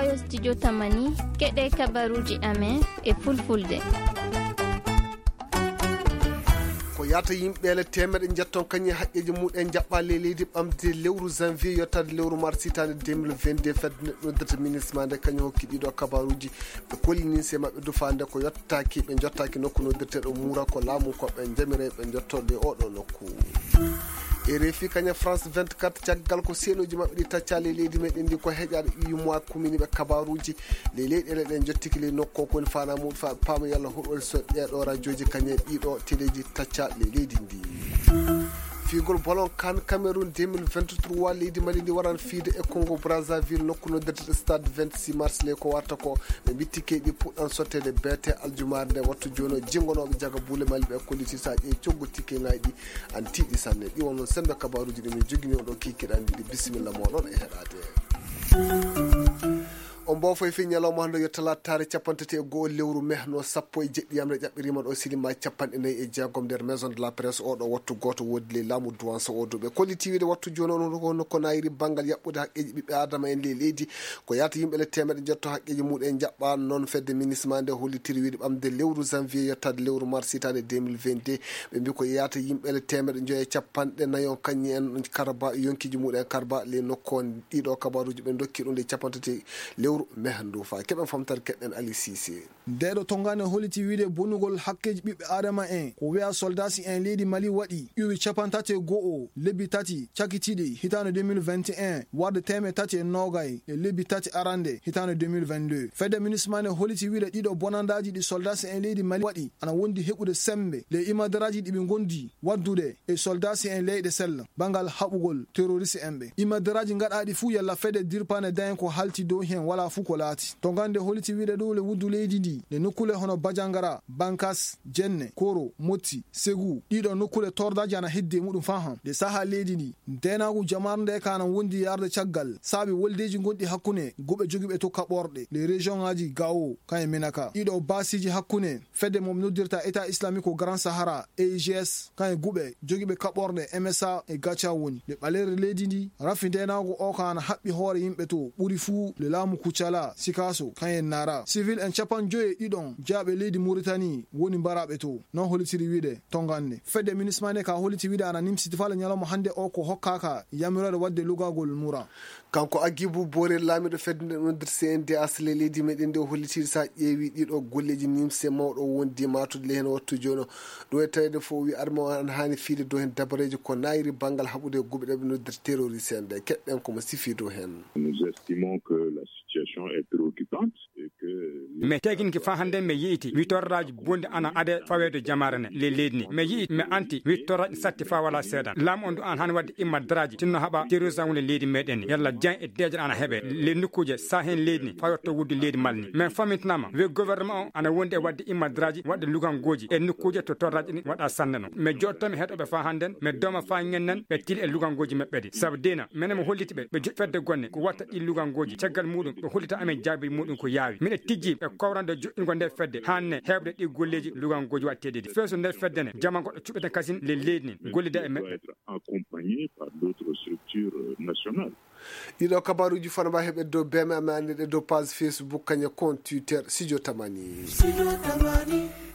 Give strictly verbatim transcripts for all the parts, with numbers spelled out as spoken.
Ayo studio Tamani, keɗe kabaruji amen e fulfulde. Ko yaata yimɓe ele teemeɗe njetton kañum e haqqeeji muɗen jaɓɓa ley leydi ɓamde lewru janvier yottaade lewru mars hitaande deux mille vingt-deux. Fedde nde noddirta ministre ma nde kañum hokki ɗiɗo kabaruji. Ɓe kollini se maɓɓe dufaande ko yottaaki, ɓe jottaaki nokku noddirteeɗo Mura ko laamu ko ɓe jamire ɓe jotto ley oɗo nokku. E refi kañum France vingt-quatre, caggal ko seenoji maɓɓe ɗi taccaali e leydi meɗen ndi ko heƴaade U M O A kumini ɓe kabaruji. Ley leyɗeele ɗen jottiki ley nokku ko woni fana muɗum fa paama yalla huɗol so ɗeɗo rajoji kañum e ɗiɗo teleji tacca ley leydi ndi. Figol bolon kan Cameroun deux mille vingt-trois, leydi Mali ndi waran fiide e Congo Brazzaville nokku no dette stade vingt-six mars ley ko warta ko. Ɓe mbitti keyɗi puɗɗan sottede beete aljumaare nde wattu jono jingonooɓe jaga buule Mali ɓe kolliti sa ƴeewi coggu tikke ngaji ɗi an tiiɗi sanne. Ɗi wonno sembe kabaruji ɗi min jogini on ɗo kikiɗan ɗi. Bisimilla moɗon e heɗade. On mboofo e fii ñalawma hannde yo talaataare capanɗe tati e go'o lewru mehno sappo e jeɗɗi yamre ƴaɓɓiriima ɗo silima capanɗe nayi e jeegom nder maison de la presse. Oɗo wattu gooto woodi ley laamu duwansa o duɓe kolliti wiide wattu jooni on ko nayiri banngal yaɓɓude haqqeeji ɓiɓɓe aadama en ley leydi. Ko yaata yimɓe le teemeɗe njotto haqqeeji muɗen jaɓɓa noon fedde minisma nde hollitiri wiide ɓamde lewru janvier yettaade lewru mars hitaande deux mille vingt-deux. Ɓe mbi ko yaata yimɓe le teemeɗe njoyo e capanɗe nayi on kañum en karba yonkiji muɗen karba ley nokku on. Ɗiɗo kabaruji ɓe dokki ɗum nde capanɗe tati lewru mehndu fa keɓen famtare keɗen Ali Cissé. Ndeɗo tongane holiti wiide bonugol hakkeji ɓiɓɓe adama en ko wiya soldasi en leydi Mali waɗi ƴuwi capanɗe tati e go'o lebbi tati cakitiɗi hitande deux mille vingt et un warde teemeɗe tati e nogay e lebbi tati arande hitande deux mille vingt-deux. Fedde minisma ne holiti wiide ɗiɗo bonandaji ɗi soldasi en leydi Mali waɗi ana wondi heɓude sembe ley imadaraji ɗi ɓe gondi waddude e soldasi en leyɗe sella bangal haɓugol terroriste en ɓe. Imaderaaji gaɗaaɗi fuu yalla fedde dirpaande dayen ko halti dow heen walaa fuu ko laati. To ngannde holiti wiide ɗuule wuddu leydi ndi nde nokkuule hono Bajangara, Bankas, Jenne, Koro, Motti, Segu, ɗiɗo nokkuule tordaaji ana heddi e muɗum faa han. Nde sahaa leydi ndi, ndeenaagu jamaanu nde ka ana wondi yarde caggal saabi woldeeji gonɗi hakkunde guɓe jogiiɓe to kaɓorɗe, les régions ŋaaji Gao, kan e Menaka. Ɗiɗo baasiiji hakkunde fedde mo noddirta État Islamique au Grand Sahara, A I G S, kan e guɓe jogiiɓe kaɓorɗe M S A e Gacha woni. Nde ɓaleeri leydi ndi, rafi ndeenaagu o ka ana haɓɓi hoore yimɓe to, ɓuri fuu le laamu Kucala, Sikaso, kan e Nara. Civil en capanɗe joyi e ɗiɗon jaaɓe leydi Muritani woni mbaraaɓe to. Non holitiri wiide tongande. Fedde minisma nde ka holiti wiide ana nimsiti faa le ñalawma hannde o ko hokkaaka yamiroore waɗde lugagol mura. Kanko Agibu Boore, laamiiɗo fedde nde noddirta C N D H le leydi meɗen nde, o holliti sa ƴeewi ɗiɗo golleeji nimse mawɗo wondi matude le heen wattu jooni o. Ɗo e taweede fof o wi arme o ana haani fiide dow heen dabareeji ko naayiri banngal haɓude e guɓe ɗe ɓe noddirta terroriste en ɓe. Keɗɗen ko mo sifi dow heen. Nous estimons que la situation est préoccupante. Mais teginki faa hannde mi yi'iti wittorraaji bonɗi ana ade faweede jamaare ne ley leydi ni. Mi yi'iti, mi anti wittorraaji satti faa walaa seedan. Laamu on du an han wadde immadraaji tinno haɓa terrorisme woni leydi meɗen ni. Yalla jan e deeƴere ana heɓe ley nokkuuje sa heen leydi ni faa yotto wuddu leydi Mali ni. Min famintinaama we gouvernement o ana wondi e wadde immadraaji waɗde lugangooji e nokkuuje to torraaji ɗi waɗa sanne non. Mi joɗtami heɗoɓe faa hannden, mi dooma faa ngennen ɓe tili e lugangooji maɓɓe ɗi. Sabu dina menen mo holliti ɓe, ɓe joɗi fedde gonne ko watta ɗi lugangooji. Caggal muɗum ɓe hollita amen jaabi muɗum ko yaawi. Miɗe tijji ɓe kowrande joɗɗingo nde fedde hanne heɓde ɗi golleeji lugangooji waɗteeɗi ɗi. Feeso nde fedde ne jama goɗɗo cuɓeten kasin le leydi nin gollida e maɓɓe. Accompagné par d'autres structures nationales. Ɗiɗo kabaruji fana mba heɓe dow B M A mi anndi ɗe dow page Facebook kañe compte Twitter Studio Tamani.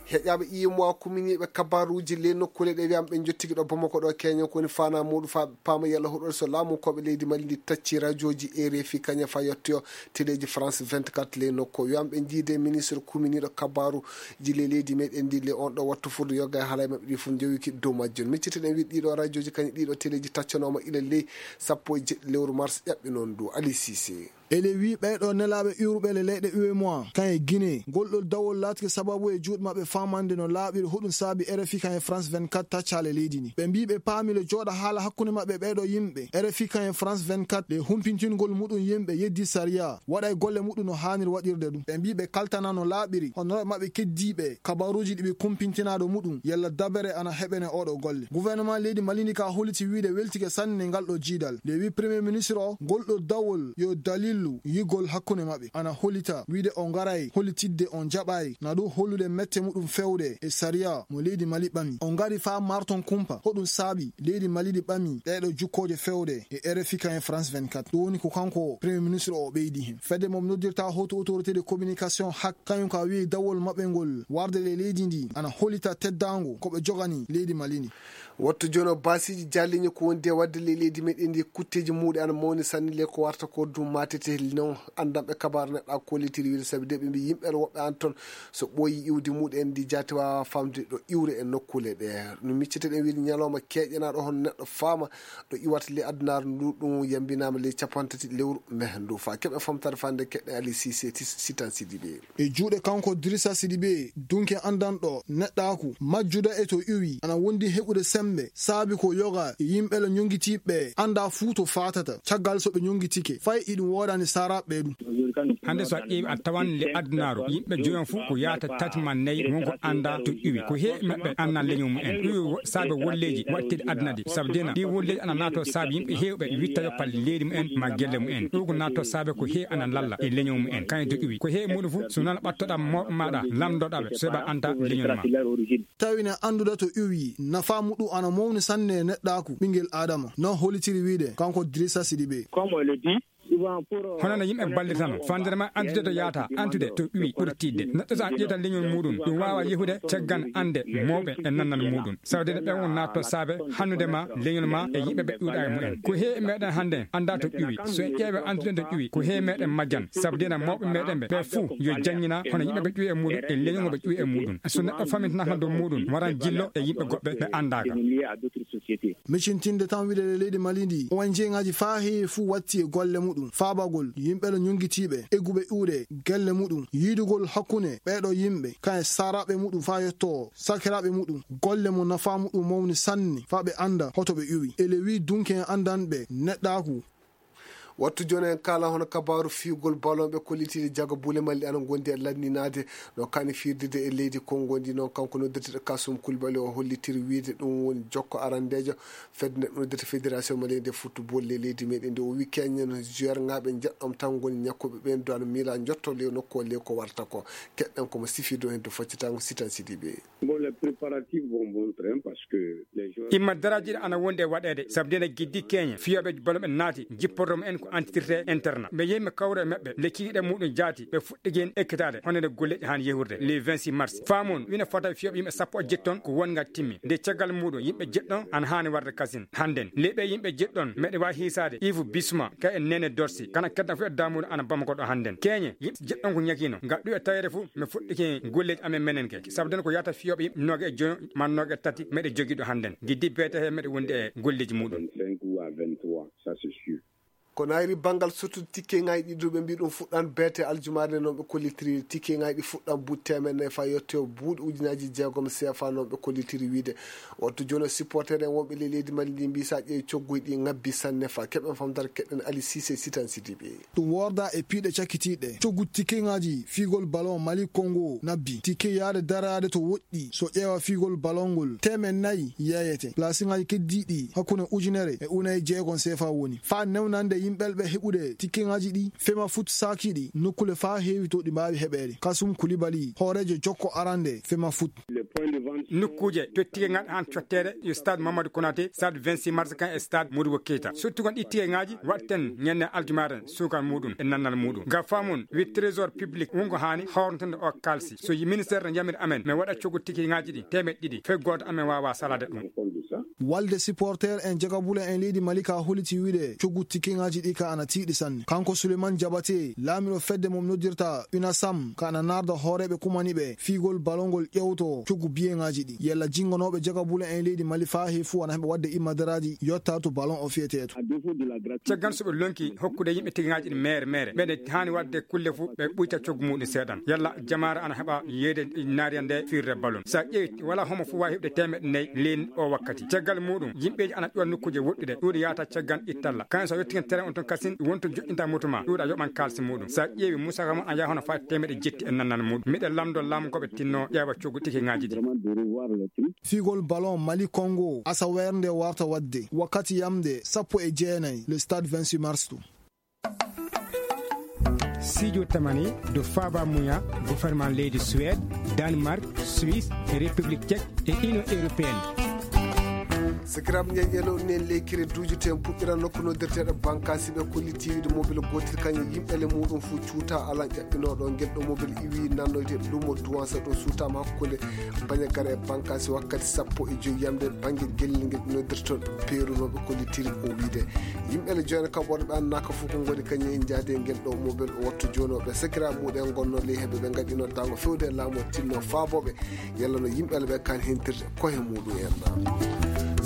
Heƴaɓe I M O A kuminiiɓe kabaruuji ley nokkuule ɗe wiyama ɓe jottiki ɗo Bamako ɗo keñen ko woni fana muɗum fa paama yalla huɗol so laamu koɓe leydi Mali ndi tacci rajoji R F I kaña fa yettoyo teleji France vingt-quatre ley nokku wiyama ɓe jiide ministre kuminiiɗo kabaruuji ley leydi meɗen ndi le on ɗo wattu furde yogga e haala e maɓɓe ɗi fof jowiki dow majjum miccitiɗen wiɗ ɗiɗo rajoji kañi ɗiɗo teleji taccanooma ila ley sappo e jeɗɗi lewru mars ƴaɓɓi noon du Ali Cissé. Ele wi ɓeyɗo nelaaɓe iwruɓe le leyɗe U M O A kan e Guinée ngol ɗo dawol laatike sababu e juuɗe maɓɓe faamande no laaɓiri hoɗum saabi R F I kan e France vingt-quatre taccaale leydi ndi. Ɓe mbii ɓe paami le jooɗa haala hakkunde maɓɓe ɓeyɗo yimɓe R F I kan e France vingt-quatre le humpintingol muɗum yimɓe yeddi sariya waɗa e golle muɗum no haaniri waɗirde ɗum. Ɓe mbii ɓe kaltana no laaɓiri honorooɓe maɓɓe keddiiɓe kabaruuji ɗi ɓe kumpintinaa ɗo muɗum yalla dabere ana heɓene oɗo golle. Gouvernement leydi Mali ndi ka holliti wiide weltike sanne ngal ɗo jiidal. Nde wi premier ministre o ngol ɗo dawol yo dalil Lu yigol hakkunde maɓɓe ana hollita wiide o ngaray hollitidde on jaɓay na ɗum hollude mette muɗum fewde e sariya mo leydi Mali ɓami. O ngari faa marton kumpa hoɗum saabi leydi Mali ɗi ɓami ɗeeɗo jukkooje fewde e R F I kayen France vingt-quatre. Ɗum woni ko kanko Premier Ministre o ɓeydi hen. Fedde mo noddirta Haute Autorité de Communication hak kañum ka wi'i dawol maɓɓe ngol warde le leydi ndi ana hollita teddaango ko ɓe jogani leydi Mali ndi. Wattu jono baasiiji jalliñi ko wondi e waɗde ley leydi meɗen ndi kutteeji muuɗi ana mawni sanne le ko warta ko ɗum matete non anndanɓe kabaru neɗɗa kollitiri wiide sabi de ɓe mbi yimɓe woɓɓe an toon so ɓooyi iwdi muɗen ndi jaati wawa famde ɗo iwre e nokkule ɗe. No miccete ɗen wiide ñalawma keƴanaɗo hono neɗɗo faama ɗo iwata ley addunaru ndu ɗum yambinama ley capantati lewru meh ndu fa keɓe famtare fande keɗɗe Ali Sise Sitan Sidibe. E juuɗe kanko Dirisa Sidibe dunke anndanɗo neɗɗaaku majjuda e to iwi ana wondi heɓude sembe saabi ko yoga e yimɓe la ñongitiɓe annda fuu to fatata caggal so ɓe ñongitike fay iɗum woodani saraɓe ɗum. Hannde so a ƴeewi a tawan le addunaru yimɓe joyon fuu ko yaata tati ma nayi wonko annda to iwi ko heewi maɓɓe annan leñol mumen ɗum saabe wolleeji waɗtiɗe adduna ɗi sabu dena ɗi wolleeji ana naato saabe yimɓe heewɓe witta yoppal leydi mumen ma gelle mumen ɗum ko naato saabe ko heewi ana lalla e leñol mumen kañum to iwi ko heewi muɗum fof so noon ɓattoɗa mawɓe maɗa lamdoɗaɓe so heɓa anta leñol ma. Tawina annduda to iwi nafa muɗum ana mawni sanne e neɗɗaaku ɓinngel adama non hollitiri wiide kanko Dirisa Sidibe. Hono no yimɓe ballitano fandere ma antude to yaata antude to iwi ɓuri tiɗde neɗɗo so an ƴeeta leñol muɗum ɗum wawa yehude caggan ande mawɓe e nannal muɗum sawde ne ɓen won natto saabe hannude ma leñol ma e yimɓe ɓe ƴuuɗa e mumen ko heewi meɗen hannde annda to ƴuwi so en ƴeewe antude to ƴuwi ko heewi meɗen majjan sabu dena mawɓe meɗen ɓe ɓe fuu yo janngina hono yimɓe ɓe ƴuwi e muɗum e leñol mo ɓe ƴuwi e muɗum so neɗɗo famintinaka dow muɗum waran jillo e yimɓe goɓɓe ɓe anndaka. Micintinde tan wiɗeɗe leydi Mali ndi O N G ngaji faa heewi fuu watti e golle muɗum faabagol yimɓe no ñungitiiɓe egguɓe ƴuuɗe gelle muɗum yiidugol hakkunde ɓeeɗo yimɓe kan e saaraaɓe muɗum faa yottoo sakiraaɓe muɗum golle mo nafaa muɗum mawni sanne faa ɓe annda hoto ɓe ƴuwi ele wii dunke en anndanɓe neɗɗaaku. Wattu jooni en kaala hono kabaaru fiyugol balon ɓe kollitiiɗe jaga buule malli ana ngondi e lanninaade no kani firdide e leydi kongo ndi noon kanko noddirteɗo kasum kulbali o hollitiri wiide ɗum woni jokko arandeejo fedde nde ɗum noddirta fédération malien de football e leydi meɗen ndi o wi keñen joueur ngaɓe njeɗɗom tan ngoni ñakkuɓe ɓen duwan mila jotto le nokku o le ko warta ko keɗɗen komo sifi dow hen to foccatango sitan sidiɓe. Bon, les préparatifs vont bon train parce que les joueurs imma daraji ɗi ana wondi e waɗeede sabu nde giddi keñe fiyoɓe bolo ɓe naati jipporto mo en ko antitirte interna ɓe yehi mi kawra e maɓɓe le kikiɗe muɗum jaati ɓe fuɗɗigi hen ekkitaade hono nde golleji han yehurde le vingt-six mars faamon wina fota fiyoɓe yimɓe sappo e jetton ko wonga timmi nde caggal muɗum yimɓe jeɗɗon ana hani warde kasin hannden le ɓe yimɓe jeɗɗon meɗe wawi hiisaade ivu bisma ka e nene dorsi kana keddan fof e damuɗo ana bamako ɗo hannden keñe yimɓe jeɗɗon ko ñakino ngal ɗu e tawede fof mi fuɗɗike golleji amen menen ke sabu den ko yata fiyoɓe yimɓe noga e joyo ma noga e tati meɗe jogiɗo hannden giddi beete he meɗe wondi e golleji muɗum. Ko nayri banngal sottude tikkeŋaaji ɗi duuɓe mbi ɗum fuɗɗan beete aljumaare nde noon ɓe kollitiri tikkeŋaaji ɗi fuɗɗan buuɗi teemeɗe nayi faa yetto buuɗi ujunaaji jeegom seefa noon ɓe kollitiri wiide wattu jooni o supporter en wonɓe ley leydi mali ndi mbi so a ƴeewi cogguji ɗi ngabbi sanne faa keɓen famdar keɗen ali sise sitan sidiɓe. Ɗum worda e piiɗe cakkitiiɗe coggu tikkeŋaaji fiigol balon mali kongo nabbi tikke yaade daraade to woɗɗi so ƴeewa fiigol balon ngol teemen nayi yeeyete plasiŋaaji keddiiɗi hakkunde ujunere e unaye jeegom seefa woni faa newnande yimɓelɓe heɓude tikkeŋaaji ɗi fema fut saakiiɗi nokkule faa heewi to ɗi mbaawi heɓeede kasum kulibali hooreejo jokko arande fema fut. Nokkuuje to tikkeŋaaji han cotteede yo stade mamadou konaté stade vingt-six mars kan e stade modibo keita sottugon ɗi tikkeŋaaji waɗten ñande aljumaare suukar muɗum e nannal muɗum ngam faamon wi trésor public wongo haani hawrantande o kalsi so ministére no yamiri amen min waɗa coggu tikkeŋaaji ɗi teemeɗɗe ɗiɗi fay gooto amen waawa salade ɗum. Walde supporter en jagabule en leydi mali ka holiti wiide coggu tikkeŋaaji ɗi ka ana tiiɗi sanne kanko souleymane jabate laamiɗo fedde mom noddirta unasam ka ana narda hooreeɓe kumani ɓe fiigol balongol ƴewto coggu biyeŋaaji ɗi yalla jinnganooɓe jagabule en leydi mali faa he fuu ana heɓa waɗde immadaraaji yotta to balon o fiyetee to. Caggal so ɓe lonki hokkude yimɓe tigaŋaaji ɗi meere meere meɗe haani waɗde kulle fof ɓe ɓuyta coggu muɗum seeɗan yalla jamaare ana heɓa yeeyde naariya nde firde balon so a ƴeewi wala homo fof wawi heɓde temeɗɗe nayi leydi o wakkati caggal muɗum yimɓeji ana ƴuwa nokkuji woɗɗude ɗuuɗi yahata caggal ittalla kañum so a yetti hen terrain on toon kasin wonto joɗɗinta moto ma ɗuuɗa yoɓan kalsi muɗum so a ƴeewi musaka mon a yaha hono fati temeɗɗe jetti e nannal muɗum miɗen lamdo lamgoɓe tinno ƴeewa coggu tikiŋaji ɗi. Fiigol ballon mali kongo asaweere nde warta waɗde wakkati yamde sappo e jeenayi le stade vingt-six mars to. Sijo tamani do faba muya gouvernement leydi Suède, Danemark, Suisse, République Tchèque et Union Européenne. Sakiraaɓe, ñeeñe ɗo nen lekkere duujete en puɗɗira nokku noddirteeɗo bankaasi ɓe kollitiiɗo mobile gootel kañum yimɓe le muɗum fof cuuta alan ƴaɓɓinooɗo ngel ɗo mobile iwi nannoyde lumo duwansa ɗo suutama hakkunde bañagara e bankaasi wakkati sappo e joyi yamde bannge gellel ngel noddirtoon peerunooɓe kollitiiɗo o wiide yimɓe le joyna kam worɓe annaka fof ko ngoni kañum en jaade ngel ɗo mobile o wattu joonooɓe sakiraaɓe muɗum en gonno ley heɓe ɓe ngaɗino dango fewde e laamu o tinno faabooɓe yalla no yimɓe le ɓe kan hentirde koye muɗum en.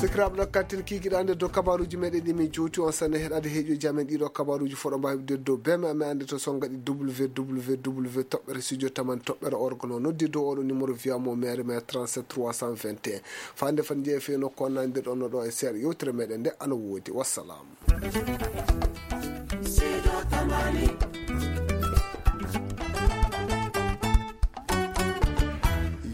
Sakiraaɓe ɗo kattin kiikiɗa nde dow kabaruuji meɗen ɗi min jowti on sanne heɗade heeƴoji amen ɗiɗo kabaruuji foɗo mbawi ɗeddo beme amen ande to songaɗi www toɓɓere studio taman toɓɓere orgono noddi dow oɗo numéro viyamo maire maire trente-sept trois cent vingt et un fande fan jeefe no konnandirɗon no ɗo e seeɗa yewtere meɗen nde ana woodi wassalam.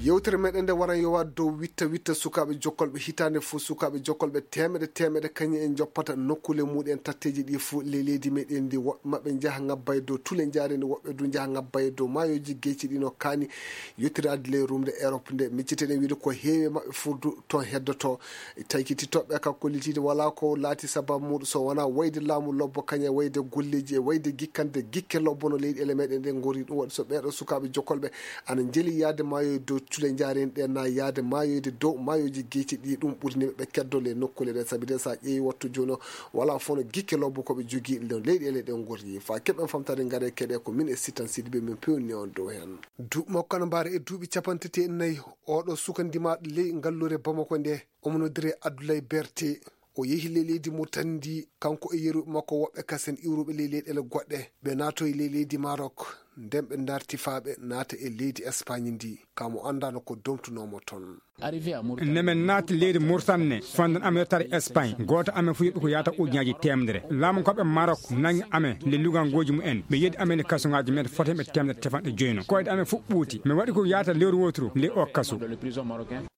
Yewtere meɗen nde waran yowa dow witta witta sukaaɓe jokkolɓe hitaande fof sukaaɓe jokkolɓe temeɗe temeɗe kañum en joppata nokkule muɗen tatteji ɗi fof le leydi meɗen ndi woɓɓe maɓɓe njaha ngabba e dow tule njaare ndi woɓɓe du njaha ngabba e dow mayoji geyci ɗi no kaani yettirade ley rumde Europe nde micciteɗen wiide ko heewi maɓɓe furdu toon heddoto taykitittoɓe ka kollitiide wala ko laati sababu muɗum so wona wayde laamu lobbo kañe wayde golleji e wayde gikkande gikke lobbo no leyɗele meɗen ɗe gori ɗum waɗi so ɓeɗo sukaɓe jokkolɓe ana jeli yaade mayoye dow cule jaren ɗe na yaade mayoyde dow mayoji geyci ɗi ɗum ɓurniɓe ɓe keddole e nokkule ɗe saabi de sa ƴeewi wattu joni o wala fof no gikke lobbo koɓe jogui no leyɗele ɗe gori fa keɓen famtade gare keɗe ko min e sittan sidiɓe min pewni on dow hen. Duuɓi makko ana mbaara e duuɓi capanɗe tati e nayi, oɗo suka ndimaaɗo ley ngallure Bamako nde, omo noddire Abdoulaye Berté. O yehi ley leydi Mauritanie ndi, kanko e yeru makko woɓɓe kasen iwruɓe ley leyɗele goɗɗe. Ɓe naatoyi ley leydi Maroc, nden ɓe darti faa ɓe naata e leydi Espagne ndi, ka mo anndaano ko domtunoomo ton. Nde min naati leydi Mauritanie ne, fanɗon amen yettade Espagne, gooto amen fof yeɓi ko yaata ujunaaji teemedere. Laamu koɓe Maroc nangi amen le lugangoji mumen, ɓe yeddi amen le kasuŋaaji men foti heen ɓe teemedere tefanɗe joyno. Koyɗe amen fof ɓuuti. Mi waɗi ko yaata lewru wooturu le o kasu.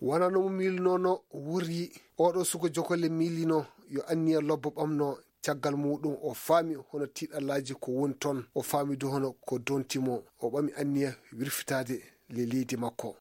Wonano mo miilunoono wurri, oɗo suka jokolle miilino yo anniya lobbo ɓamno. Caggal muɗum o faami hono tiiɗallaaji ko woni toon, o faami du hono ko donti mo, o ɓami anniya wirfitaade le leydi makko.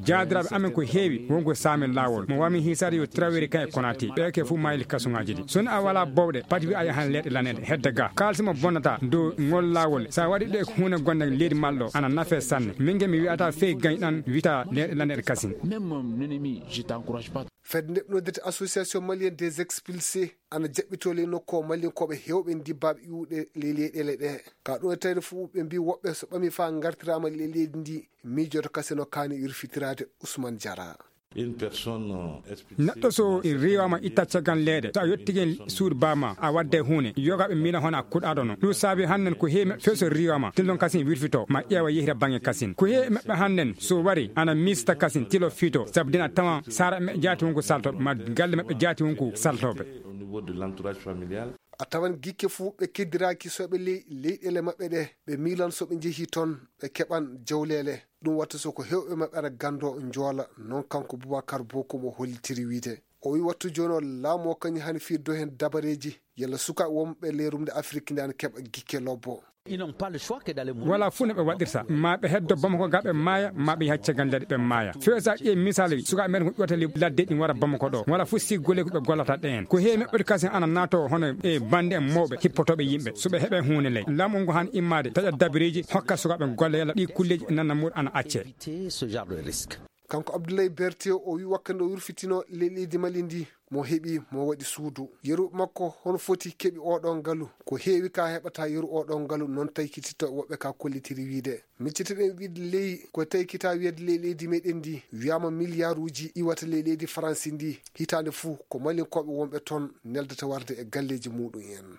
Jaadiraaɓe amen ko heewi, won ko saami laawol. Mo wami hiisaade yo Traoré kan e Konaté. Ɓe ke fof maayli kasuŋaaji ɗi. So a wala bowɗe, pati wi a yahan leeɗe laneɗe, hedde ga. Kaalisi mo bonnata dow ngol laawol. Sa waɗi ɗe huunde gonde leydi malɗo, ana nafe sanne. Min ge mi wi'ata fey gañ ɗan wita leeɗe laneɗe kasin. Même mon ennemi, je t'encourage pas. Fedde nde noddirta Association Malienne des Expulsés ana jaɓɓitoo ley nokku o Malinkooɓe heewɓe ndibbaaɓe iwuɓe ley leyɗele ɗe. Ka ɗum e tawde fof ɓe mbii woɓɓe so ɓamii faa ngartiraama ley leydi ndi miijoto kasino kaani yurfitiraade Ousmane Diarra. Une personne, euh, expulsée. Neɗɗo so riiwaama itta caggal leyɗe, so a yottike suudu baama, a wadde huunde, yogaaɓe miila hono a kuɗaaɗo no. Ɗum saabi hannden ko heewi maɓɓe few so riiwaama, tellon kasin wirfito, ma ƴeewa yehira baŋŋe kasin. Ko heewi maɓɓe hannden so wari, ana miista kasin tilo fiito, sabu den a tawan saara maɓɓe jaati wonko saltooɓe, ma galle maɓɓe jaati wonko saltooɓe. Au niveau de l'entourage familial. A tawan gikke fuu ɓe keddiraaki soɓe ley leyɗele maɓɓe ɗe, ɓe miilan so ɓe njehii toon, ɓe keɓan jawleele. Ɗum watta so ko heewɓe maɓɓe ara ganndo njoola, noon kanko Boubacar Bokoum o hollitiri wiyde. O wiyi wattu jooni o laamu o kañum hani firdo heen dabareeji, yalla sukaaɓe wonɓe ley rumde Afrik nde ana keɓa gikke lobbo. Ils n'ont pas le choix que d'aller mourir. Wala fuu no ɓe waɗirta, ma ɓe heddo Bamako ga ɓe maaya, ma ɓe yaha caggal leyɗe ɓe maaya. Few sa ƴeewi misal sukaaɓe men ko ƴoota ley ladde ɗin wara Bamako ɗo, wala fuu si golle ko ɓe gollata ɗeen. Ko heewi maɓɓe kasin ana naato hono e bande en mawɓe hippotooɓe yimɓe, so ɓe heɓe huunde ley. Laamu ngu han immaade, taƴa dabareeji, hokka sukaaɓe golle yalla ɗi kulleeji nanna muɗum ana acce. Éviter ce genre de risque. Kanko Abdoulaye Berté o wi wakkati o wirfitino le-, leydi Mali ndi, mo heɓi, mo waɗi suudu. Yeru makko, hono foti keɓi oɗo ngalu? Ko heewi ka heɓata yeru oɗo ngalu, noon taykititto woɓɓe ka kollitiri wiide. Miccitiɗen wiide ley, ko taykita wiyeede ley leydi meɗen ndi, wiyama miliyaruuji iwata ley leydi Faransi ndi, hitaande fuu ko Malinkooɓe wonɓe toon neldata warde e galleeji muɗum en.